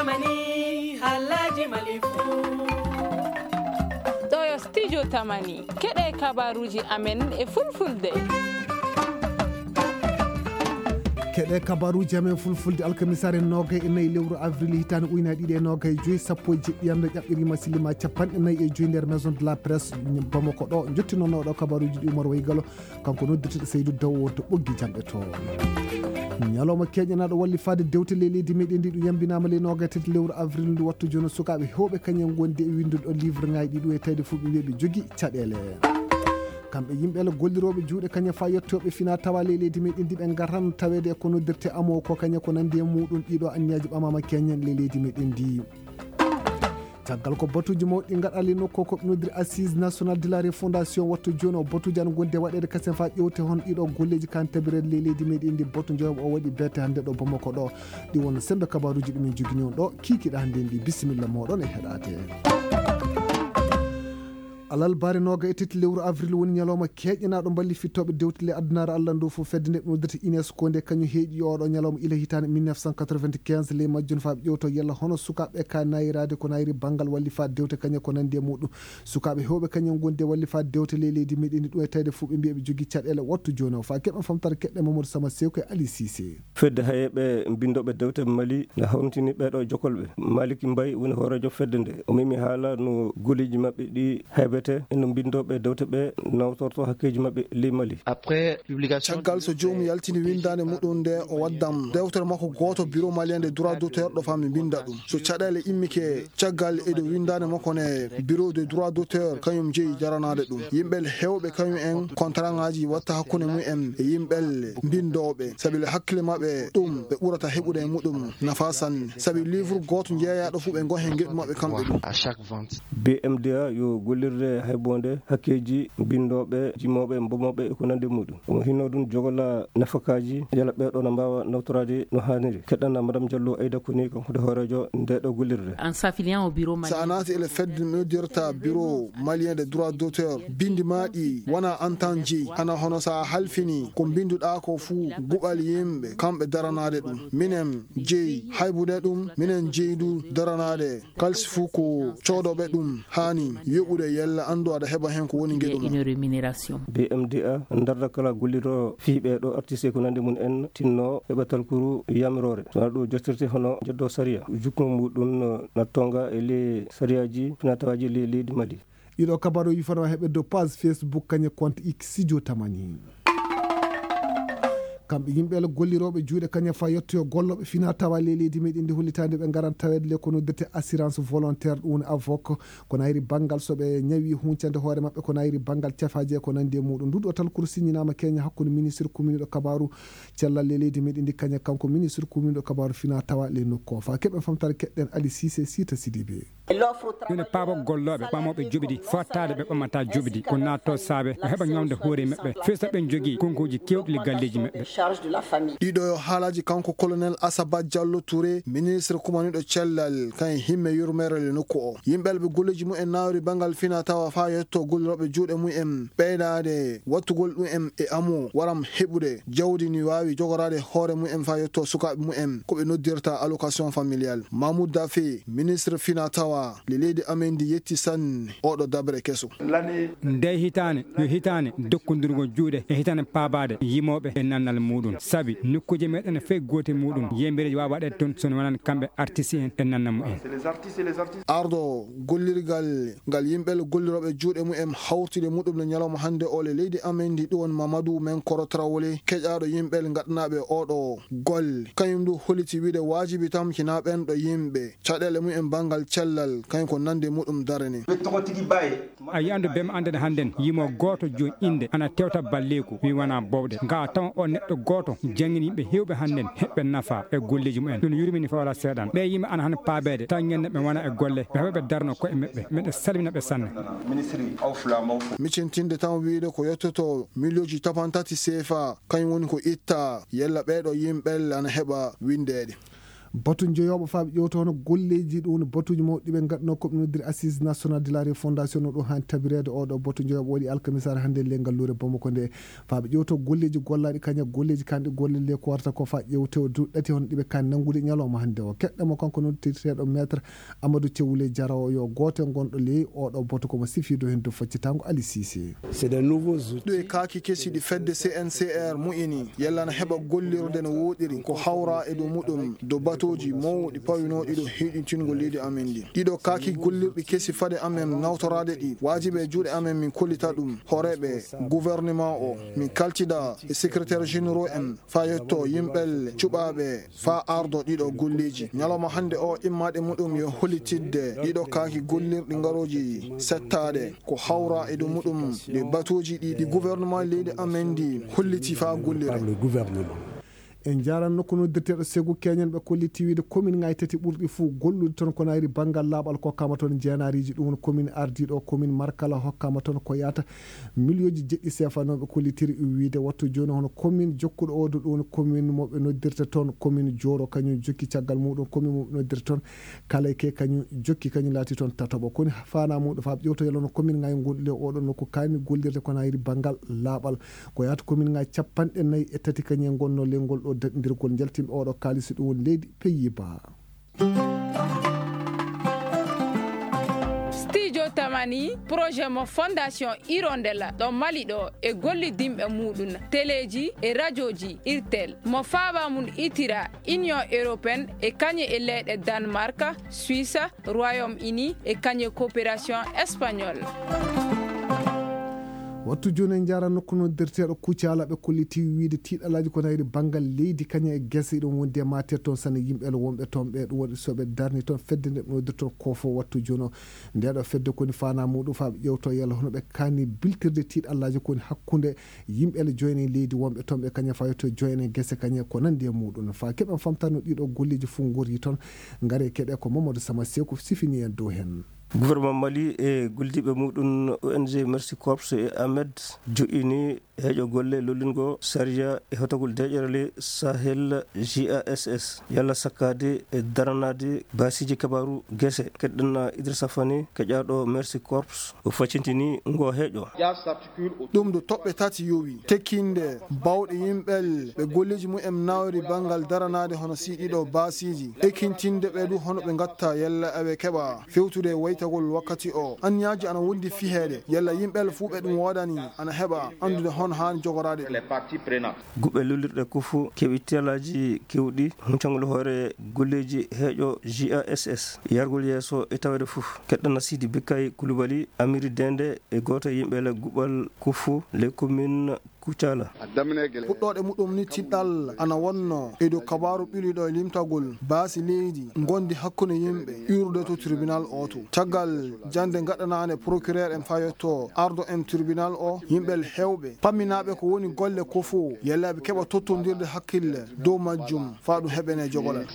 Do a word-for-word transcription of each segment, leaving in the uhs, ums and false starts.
Tamani, halaji malifu. Ɗo yo studio Tamani. Keɗe kabaruji amen e fulfulde. Keɗe kabaruji amen fulfulde alkamisaare nogay e nayi lewru avril hitaande ujunaaji ɗiɗi e nogay e joyi, sappo e jeɗɗi yamre ƴaɓɓirima silima capanɗe nayi e joyi nder maison de la presse Bamako ɗo. Jottinonooɗo kabaruji ɗi Umar Waygalo. Kanko noddirteɗo Seydou Daw wonto ɓoggi janɗe to. Ñalawma keeñanaaɗo wallifaade dewte ley leydi meɗen ndi ɗum yambinaama ley noogaye tati lewru avril ndu wattu jono sukaaɓe heewɓe kañum ngondi e winndude ɗo livre ŋaaji ɗi ɗum e tawde fof ɓe mbiya ɓe jogi caɗeele. Kamɓe yimɓe la gollirooɓe juuɗe kañum faa yettooɓe fina tawa ley leydi meɗen ndi ɓe ngaran taweede e ko noddirte amo ko kañum ko nandi e muɗum ɗiɗo anniyaji ɓamama keñen ley leydi meɗen ndi. Caggal ko batuuji mawɗi gaɗali nokku ko ɓe noddiri assise national de la refondation wattu jooni o batuuji ana gondi e waɗeede kasen faa ƴewte hon ɗiɗo golleeji kan tabireede ley leydi meɗen ndi batu joom o waɗi beete hannde ɗo Bamako ɗo. Ɗi won sembe kabaruuji ɗumen jogini on ɗo kiikiɗa hannde ndi bisimilla moɗon e heɗaade. Alarba noga e tati lewru avril woni ñalawma keeƴanaaɗo mballi fittooɓe dewte ley addunaare Allah ndu fof fedde nde ɓe noddata UNESCO nde kañum heeƴi oɗo ñalawma ila hitaande mille neuf cent quatre-vingt-quinze ley majjum faa ɓe ƴewto yalla hono sukaaɓe ka nayiraade ko nayiri banngal walli faa dewte kañum ko nandi e muɗum. Sukaaɓe heewɓe kañum ngondi e walli faa dewte ley leydi meɗen ndi ɗum e tawde fof ɓe mbiya ɓe jogii caɗeele wattu jooni o faa keɓen famtare keɗɗe Mamadou Sama Sewko e Ali Cissé. Fedde hayeeɓe binndooɓe dewte Mali na hawritini ɓeeɗo jokolɓe. Maliki Mbaye woni hooreejo fedde nde. O memi haala no golleeji maɓɓe ɗi haybete e no binndooɓe dewte ɓe nawtorto hakkeeji maɓɓe ley Mali. Après publication. Caggal so joomum yaltini winndaande muɗum nde o waddam dewtere makko gooto bureau malien de droit d'auteur ɗo faa mi mbinnda ɗum. So caɗeele immike caggal e dow winndaande makko ne bureau de droit d'auteur kañum jeyi daranaade ɗum. Yimɓe heewɓe kañum en contrat ŋaaji watta hakkunde mum en e yimɓe mbinndooɓe. Sabi le hakkille maɓɓe ɗum ɓe ɓurata heɓude e muɗum nafa sanne. Sabi livre gooto jeeyaaɗo fof ɓe ngo heen ngeɗu maɓɓe kamɓe ɗum. B M D A yo gollirde haybonde hakkeeji binndooɓe, jimooɓe, mbomooɓe e ko nandi e muɗum. Omo hinno ɗum jogola nafakaaji, yala ɓeeɗo na mbaawa nawtoraade no haaniri. Keɗɗana Madame Diallo Aida Koni, kanko de hooreejo nde ɗo gollirde. En s'affiliant au bureau malien. So a naati ele fedde noddirta bureau malien de droit d'auteur, binndi ma ɗi wona an tan jeyi. Hana hono so a halfini ko mbinnduɗaa ko fuu guɓal yimɓe, kamɓe daranaade ɗum. Minen jeyi haybude ɗum, minen jeyi du daranaade. Kalsi fuu ko coodooɓe ɗum haani yoɓude yalla anndu aɗa heɓa heen ko woni ngeɗu ma. Une rémunération. B M D A darda kala gollirɗo fii ɓee ɗoo artiste ko nandi mum en tinno heɓa talkuru yamiroore. So wona ɗum jottirte hono jeddo sariya. Jukkungo muɗum no na tonga e ley sariyaaji finatawaaji ley leydi Mali. Ɗiɗo kabaruuji fana heɓe dow page Facebook kañe compte X Studio Tamani. Kamɓe yimɓe la gollirooɓe juuɗe kaña faa yettoyo gollooɓe fina tawa ley leydi meɗen ndi hollitaande ɓe ngaran taweede le ko noddete assurance volontaire ɗum woni avok ko nayri banngal so ɓe ñawi huncande hoore maɓɓe ko nayri banngal cafaaji e ko nandi e muɗum nduɗo talkuru siññinaama keña hakkunde ministre commune ɗo kabaru cellal ley leydi meɗen ndi kaña kanko ministre commune ɗo kabaru fina tawa ley nokku o faa keɓen famtare keɗɗen Ali Cissé Sita Sidibé. Ɗum ne paaba gollooɓe ɓamooɓe joɓidi fottaade ɓe ɓamata joɓidi ko naatto saabe o heɓa ñawde hoore maɓɓe firta ɓen jogii konkuuji kewɗi le galleeji maɓɓe. Ɗiɗo yo haalaaji kanko colonel Asaba Diallo Touré ministre kumaniɗo cellal kan himme yurmeere le nokku o yimɓe alɓe golleeji mum en naawri banngal fina tawa faa yetto gollirooɓe juuɗe mum en ɓeydaade wattugol ɗum en e amu waram heɓude jawdi ni waawi jogoraade hoore mum en faa yetto sukaaɓe mum en ko ɓe noddirta allocation familiale. Mamoud Daffé ministre fina tawa le leydi amen ndi yetti sanne oɗo dabre keso. Nde hitaande yo hitaande dokkondirgol juuɗe e hitaande paabaade yimooɓe e nannal muɗum sabi nokkuuje meɗen fof goote muɗum yembereeji waawa waɗeede toon so wonaan kamɓe artiste en e nannal mumen. Ardo gollirgal ngal yimɓe gollirooɓe juuɗe mum en hawtude muɗum le ñalawma hannde o le leydi amen ndi ɗum woni Mamadou Menkoro Traoré keƴaaɗo yimɓe ngaɗanaaɓe oɗo golle kañum ndu holliti wiide waajibi tamkinaa ɓen ɗo yimɓe caɗeele mum en banngal cellal kañum ko nande muɗum darani. A yiyandu bem annden hannden yimo gooto jooni innde ana tewta balleeku wi wona bowɗe nga tawa o neɗɗo gooto janngini yimɓe heewɓe hannden heɓɓe nafa e golleeji mumen ɗum yurmini fawla seeɗan ɓe yimɓe ana han paabeede taw ñande ɓe wona e golle ɓe heɓa ɓe darno koye maɓɓe meɗe salmina ɓe sanne. Micintinde tan wiide ko yettoto miliyonji capantati seefa kañum woni ko itta yella ɓeeɗo yimɓe ana heɓa winndeede. Batu njoyooɓo faa ɓe ƴeewta hono golleeji ɗum woni batuuji mawɗi ɗi ɓe ngaɗnoo ko ɓe noddiri Assise Nationale de la Refondation no ɗum haani tabireede. Oo ɗoo batu njoyooɓo waɗi alkamisaare hannde e ley ngalluure Bamako nde faa ɓe ƴeewta golleeji gollaaɗi kañum e golleeji kanɗi golle le ko warata ko faa ƴeewte o duuɓi ɗati hono ɗi ɓe kaani nanngude ñalawma hannde o. Keɗɗen mo kanko noddirteeɗo Maître Amadou Thiaw Wuley Jaraw yo gooto e gonɗo ley oo ɗoo batu ko mo sifiido heen dow faccitaango Ali Cissé. C'est des nouveaux outils. Ɗo e kaaki kesi ɗi fedde C N C R mu'ini, yalla na heɓa gollirde no wooɗiri, ko hawra e dow muɗum, dow batooji mawɗi pawinooɗi ɗo heyɗintingol leydi amen ndi. Ɗiɗo kaaki gollirɗi kesi fade amen nawtoraade ɗi, waajibi e juuɗe amen min kollita ɗum. Hooreeɓe gouvernement o, min kaltida e secrétaire généraux en, faa yetto yimɓe cuɓaaɓe faa ardo ɗiɗo golleeji. Ñalawma hannde o, immaade muɗum yo hollitidde ɗiɗo kaaki gollirɗi ngarooji settaade ko hawra e dow muɗum ɗi batuuji ɗi, ɗi gouvernement leydi amen ndi holliti faa gollire. Par le gouvernement. En njaaran nokku noddirteeɗo Segu Keñen ɓe kolliti wiide commune ŋaaji tati ɓurɗi fuu gollude toon ko nayri banngal laaɓal kokkaama toon jeenaariiji. Ɗum woni commune ardiiɗo, commune Markala hokkaama toon ko yahata miliyooji jeɗɗi seefa noon ɓe kollitiri wiide wattu jooni hono commune jokkuɗo oo ɗum woni commune mo ɓe noddirta toon commune Jooro kañum jokki caggal muɗum commune mo ɓe noddirta toon Kaleke kañum jokki kañum laati toon tataɓo. Koni faanaa muɗum faa ɓe ƴeewta yalla no commune ŋaaji gonɗi le oo ɗoo nokku kaani gollirde ko nayri banngal laaɓal. Ko yahata commune ŋaaji capanɗe nayi e tati kañum e ngonnoo le ngol ɗoo daɗindirgol njaltinɓe oo ɗoo kaalisi ɗum woni leydi Pays-Bas. Studio Tamani, projet mo Fondation Hirondella ɗo Mali ɗo e gollidinɓe muɗum teleeji e rajooji irtel mo faaba mum itira Union Européenne e kañe e leyɗe Danemark, Suisse, Royaume-Uni e kañe coopération espagnole. Wattu jooni en njaara nokku noddirteeɗo Kucala ɓe kolliti wiide tiiɗalaaji ko nayri banngal leydi kañum e gese ɗum wondi e maatir toon sane yimɓe wonɓe toon ɓe ɗum waɗi so ɓe darni toon fedde nde ɓe noddirta toon kofo wattu jooni o. Nde ɗo fedde koni faanaa muɗum faa ɓe ƴeewto yalla hono ɓe kaani biltirde tiiɗalaaji koni hakkunde yimɓe le joine leydi wonɓe toon ɓe kañum faa yetto joine gese kañum ko nanndi e muɗum faa keɓen famtano ɗiɗo golleeji fof ngori toon. Ngare keɗe ko Mamadou Sama Seku sifini en dow heen. Gouvernement Mali e gollidiiɓe muɗum O N G Mercy Corps e Ahmed joƴƴini heeƴo golle lollingo sariya e hotogol deeƴere le Sahel G A S S yalla sakkaade e daranaade baasiiji kabaaru gese. Keɗɗen Idrissa Fane keƴaaɗo Mercy Corps o faccintini ngo heeƴo. Ɗum ɗo toɓɓe tati yowi tekkinde bawɗe yimɓe ɓe golleeji mumen nawri banngal daranaade hono sii ɗiɗo baasiiji, ekintinde ɓe du hono ɓe ngatta yalla eɓe keɓa fewtude e waytagol wakkati o. Anniyaaji ana wondi fiheede yalla yimɓe fuu ɓe ɗum woodani ana heɓa anndude hono haani jogoraade ɗum. Guɓe lollirɗe ko fof keɓi telaaji kewɗi huncangol hoore golleeji heeƴo G A S S yargol yeeso e taweede fof. Keɗɗana Sidi Bikkay Kulubali Amiri Dende e gooto e yimɓe le guɓal Kufu le commune Kucala. Puɗɗooɗe muɗum ni tiɗɗal ana wonno e dow kabaaru ɓiliɗo e limtagol baasi leydi ngondi hakkunde yimɓe iwrude to tribunal o to. Caggal jannde gaɗanaande procureur en fayotto ardo en tribunal o, yimɓe heewɓe pamminaaɓe ko woni golle ko fof yalla ɓe keɓa tottondirde hakkille dow majjum faa ɗum heɓene jogolal.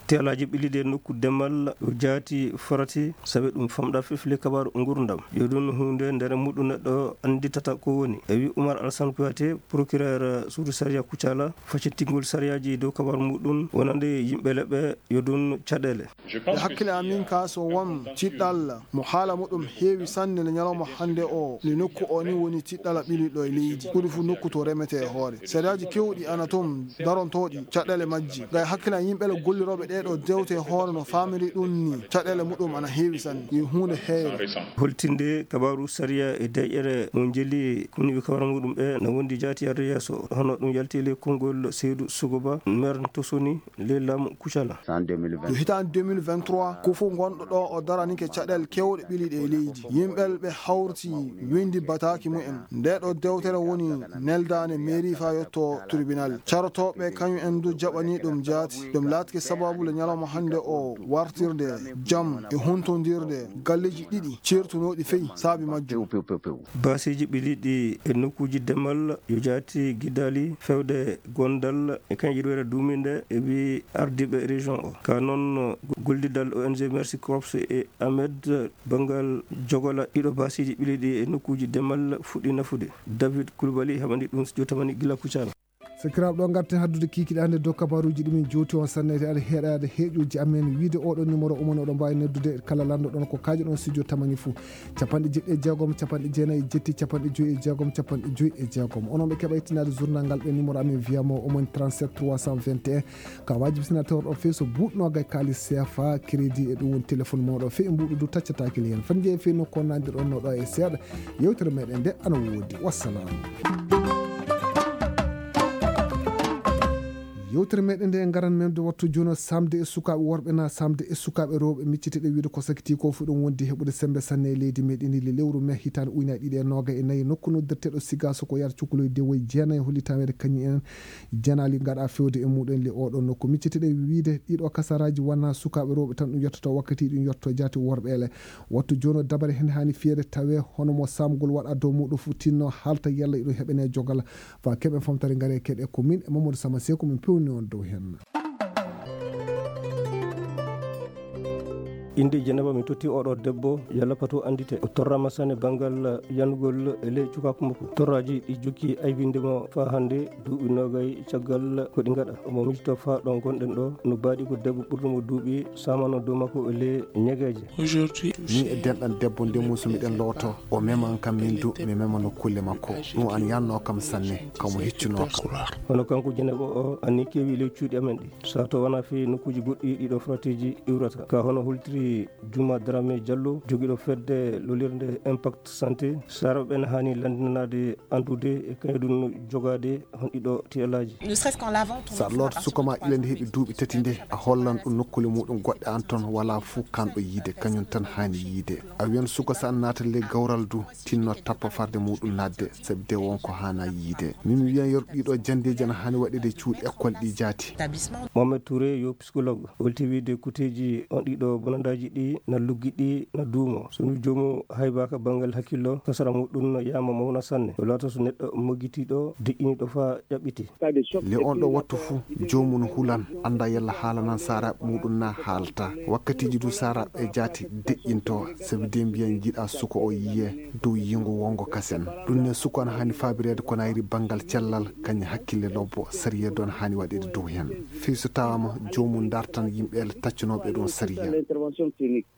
Teelaaji ɓiliɗi e nokku demal o jaati farati sabi ɗum famɗa fefle kabaaru ngurdam. Yo ɗum huunde nder muɗum neɗɗo annditata ko woni. E wi Umar Alsan Kuyate, procureur suudu sariya Kucala, faccintingol sariyaaji dow kabaaru muɗum wonande yimɓe leɓɓe yo ɗum caɗeele. E hakkille amin ka so won tiɗɗal mo haala muɗum heewi sanne le ñalawma hannde o, le nokku o ni woni tiɗɗala ɓiliɗo e leydi. Ɓuri fu nokku to remete e hoore. Sariyaaji kewɗi ana toon darontooɗi caɗeele majji. Gay hakkillan yimɓe le gollirooɓe ɗee ɗoo dewte e hoore no faamiri ɗum ni, caɗeele muɗum ana heewi sanne. Yo huunde heere. Holtinde kabaaru sariya e deeƴere mo jeli kumniiɓe kabaaru muɗum ɓe na wondi jaati yarde yeeso. Hono ɗum yalti le konngol Seydou Sogoba, maire Tosoni, le Lam Kucala. Yo hitaande deux mille vingt-trois, ko fof gonɗo ɗo o daranike caɗeele kewɗe ɓiliɗe e leydi. Yimɓe ɓe hawrti windi bataaki mumen. Nde ɗo dewtere woni neldaande mairie faa yotto tribunal. Carotooɓe kañum en du jaɓani ɗum jaati. Ɗum laatike sababu le ñalawma hannde o wartirde jam e huntondirde galleeji ɗiɗi ceertunooɗi fey saabi majjum. Baasiiji ɓiliɗi e nokkuuji demal yo jaati gidaali fewde gondal e kañƴirwere duuminde e wi ardiiɓe région o. Ka noon gollidal O N G Mercy Corps e Ahmed banngal jogola ɗiɗo baasiiji ɓiliɗi e nokkuuji demal fuɗɗi nafude. David Coulibaly haɓandi ɗum studio tamani gila Kucala. Sakiraaɓe, ɗo ngarten haddude kiikiɗe hannde dow kabaruuji ɗi min jowti on sanne, aɗa heɗaade heeƴuuji amen. Wiide oɗo numéro umon oɗo mbaawi noddude kala lanndo ɗon ko kaajo ɗon studio tamani fuu. Capanɗe jeɗɗi e jeegom, capanɗe jeenayi e jetti, capanɗe joyi e jeegom, capanɗe joyi e jeegom. Onon ɓe keɓa ittinaade journal ngal ɓe numéro amen via mo omon trente-sept trois cent vingt et un. Ka waajibi sina tawor o feeso buuɗ noogay kaalis C F A, crédit e ɗum woni téléphone mawɗo fe e mbuuɗu du taccataaki le hen. Fan jeeyi fe nokku on nandir on no ɗo e seeɗa. Yewtere meɗen nde ana woodi. Wassalam. Yewtere meɗen nde e ngaran men de wattu jono samde e sukaaɓe worɓe na samde e sukaaɓe rewɓe miccite ɗe wiide ko sakiti ko fu ɗum wondi heɓude sembe sanne e leydi meɗen ndi le lewru me hitande ujunnaji ɗiɗi e noogay e nayi nokku noddirteɗo Sigaso ko yar cukuloy dewoy jeenayi holli tawede kañum en janaali ngaɗa fewde e muɗum le oɗo nokku. Miccite ɗe wiide ɗiɗo kasaraji wona sukaaɓe rewɓe tan ɗum yettoto wakkati ɗum yetto jaati worɓe ele. Wattu jono dabare hen hani fiyede tawe hono mo samgol waɗa dow muɗum fu tinno halta yalla iɗum heɓene jogal. Fa keɓen famtare ngare keɗe ko min e Mamadou Sama Seko min pewni on dow hen. Innde Jeneba mi totti oɗo debbo, yalla pato anndite. O torrama sane banngal yanugol e ley cukaaku makko. Torraji ɗi jokki aybinde mo faa hannde, duuɓi noogay caggal ko ɗi ngaɗa. Omo miijito faa ɗo ngonɗen ɗo, no baaɗi ko debbo ɓurɗo mo duuɓi, samano dow makko e ley ñegeeje. Min e denɗan debbo nde musu miɗen looto, o meman kam min du, mi memano kulle makko. Ɗum an yanno kam sanne, kamo hiccuno kam. Hono kanko Jeneba o, anni kewi ley cuuɗi amen ɗi. Sato wona fii nokkuuji goɗɗi ɗiɗo fratiji iwrata. Ka hono holtiri Juma Dramé Diallo, jogiiɗo fedde lolirde Impact Santé, sara ɓen haani lanndinanaade anndude e kañum ɗum jogaade hon ɗiɗo tiyalaaji. Ne serait-ce qu'en lavant ton Sa enfant à loot partir suka ma de trois ila nde ans heɓi duuɓi tati nde, a hollan ɗum nokkule muɗum goɗɗe an ton wala fuu kanɗo yiide, kañum tan haani yiide. A wiyan suka sa naata ley gawral du, tinno tappa farde muɗum naatde, sabi de won ko haana yiide. Min mi wiyan yor ɗiɗo janndeeji ana haani waɗeede cuuɗi école ɗi jaati. Établissement. Mohamed Touré yo psychologue. Holti wiide kuteeji on ɗiɗo bonandaaji ɗi na luggiɗi na duumo. So mi joomu haybaaka banngal hakkillo, kasara muɗum no yaama mawna sanne. O laata so neɗɗo moggitiiɗo, deƴƴiniiɗo faa ƴaɓɓiti. Le on ɗo wattu fuu, joomum hulan, annda yalla haalanan saaraaɓe muɗum na haalta. Wakkatiiji du saaraaɓe jaati deƴƴinto, sabi de mbiyan jiɗa suka o yiye dow yingo wongo kasen. Ɗum ne suka ana haani faabireede ko nayri banngal cellal, kañum hakkille lobbo, sariya don haani waɗeede dow hen. Fii so tawaama joomum dartan yimɓe ele taccanooɓe ɗum sariya.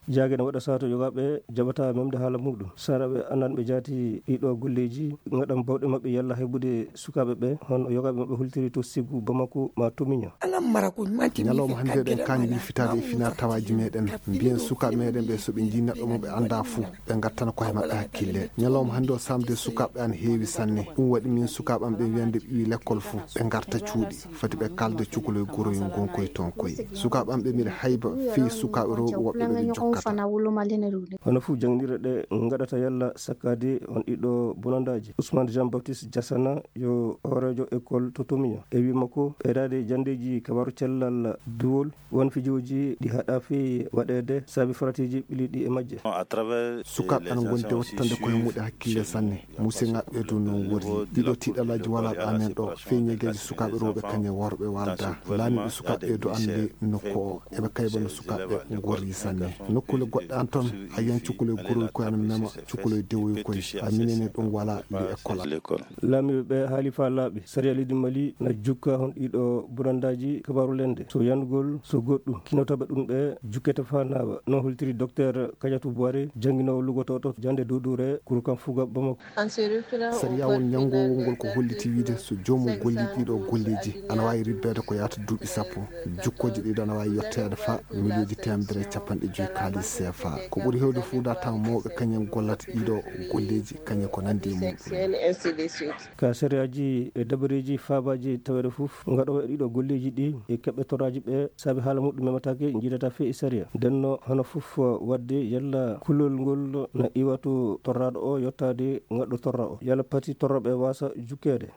Jaage ne waɗa sato yogaaɓe jaɓata memde haala muɗum. Saraɓe ananɓe jaati ɗiɗo golleeji, ngaɗan bawɗe maɓɓe yalla heɓude sukaaɓe ɓe, hono yogaaɓe maɓɓe hultiri to Ségou, Bamako, ma to Miño. Ñalawma hannde eɗen kaani wilfitaade e finaatawaaji meɗen. Mbiyen sukaaɓe meɗen ɓe so ɓe njii neɗɗo mo ɓe annda fuu, ɓe ngattana koye maɓɓe hakkille. Ñalawma hannde o samde sukaaɓe an heewi sanne. Ɗum waɗi min sukaaɓe am ɓe wiyande ɓiwi lekkol fuu, ɓe ngarta cuuɗi. Foti ɓe kalda cukalel goroyel ngon koye toon koye. Sukaaɓe am ɓe mbiɗa hayba fii sukaaɓe rewɓe woɓɓe ɓe ɓe jokkata. Hono fuu jannginirɗe ɗe ngaɗata yalla sakkaade on ɗiɗo bonandaaji. Ousmane Jean Baptiste Diassana yo hooreejo école to Tomiño. E wii makko, ɓeydaade janndeeji kabaru cellal duwol, won fijooji ɗi haɗa fii waɗeede sabi faratiiji ɓiliiɗi e majje. Sukaaɓe ana ngondi wattande koye muɗe hakkille sanne. Musidɓe ɓe du non wori. Ɗiɗo tiiɗalaaji wala ɗo amen ɗo. Fii ñegeeji sukaaɓe rewɓe kañe worɓe walda. Laamiiɓe sukaaɓe ɓe du anndi nokku o. Eɓe kayba no sukaaɓe ngorri sanne. Nokkule goɗɗe an ton, a yiyan cukalel goroy koye ana mema, cukalel dewoy koye. A minene ɗum wala li école. Laamiiɓe ɓe haali faa laaɓi. Sariya leydi Mali na jukka hon ɗiɗo bonandaaji kabaru lende. So yanugol, so goɗɗum. Kinotaɓe ɗum ɓe jukkete faa naawa. No holtiri Docteur Kadiatou Boiré, jannginoowo lugotooɗo jannde duuduure, kuru kan fuga Bamako. Sariya won ñanngowol ngol ko holliti wiide so joomum gollii ɗiɗo golleeji, ana waawi ribbeede ko yaata duuɓi sappo. Jukkooje ɗiɗo ana waawi yetteede faa miliyooji teemedere e capanɗe joyi kaalis C F A. Ko ɓuri heewde fuu da tawa mawɓe kañum gollata ɗiɗo golleeji, kañum ko nanndi e muɗum. Ka sariyaaji e dabareeji faabaaji taweede fof, ngaɗoowo e ɗiɗo golleeji ɗi e keɓɓe torraaji ɓe, sabi haala muɗum memataake, njiidataa fii e sariya. Ndenno, hono fof waɗde, yalla kulol ngol na iwa to torraaɗo o yottaade ngaɗɗo torra o. Yalla pati torrooɓe waasa jukkeede.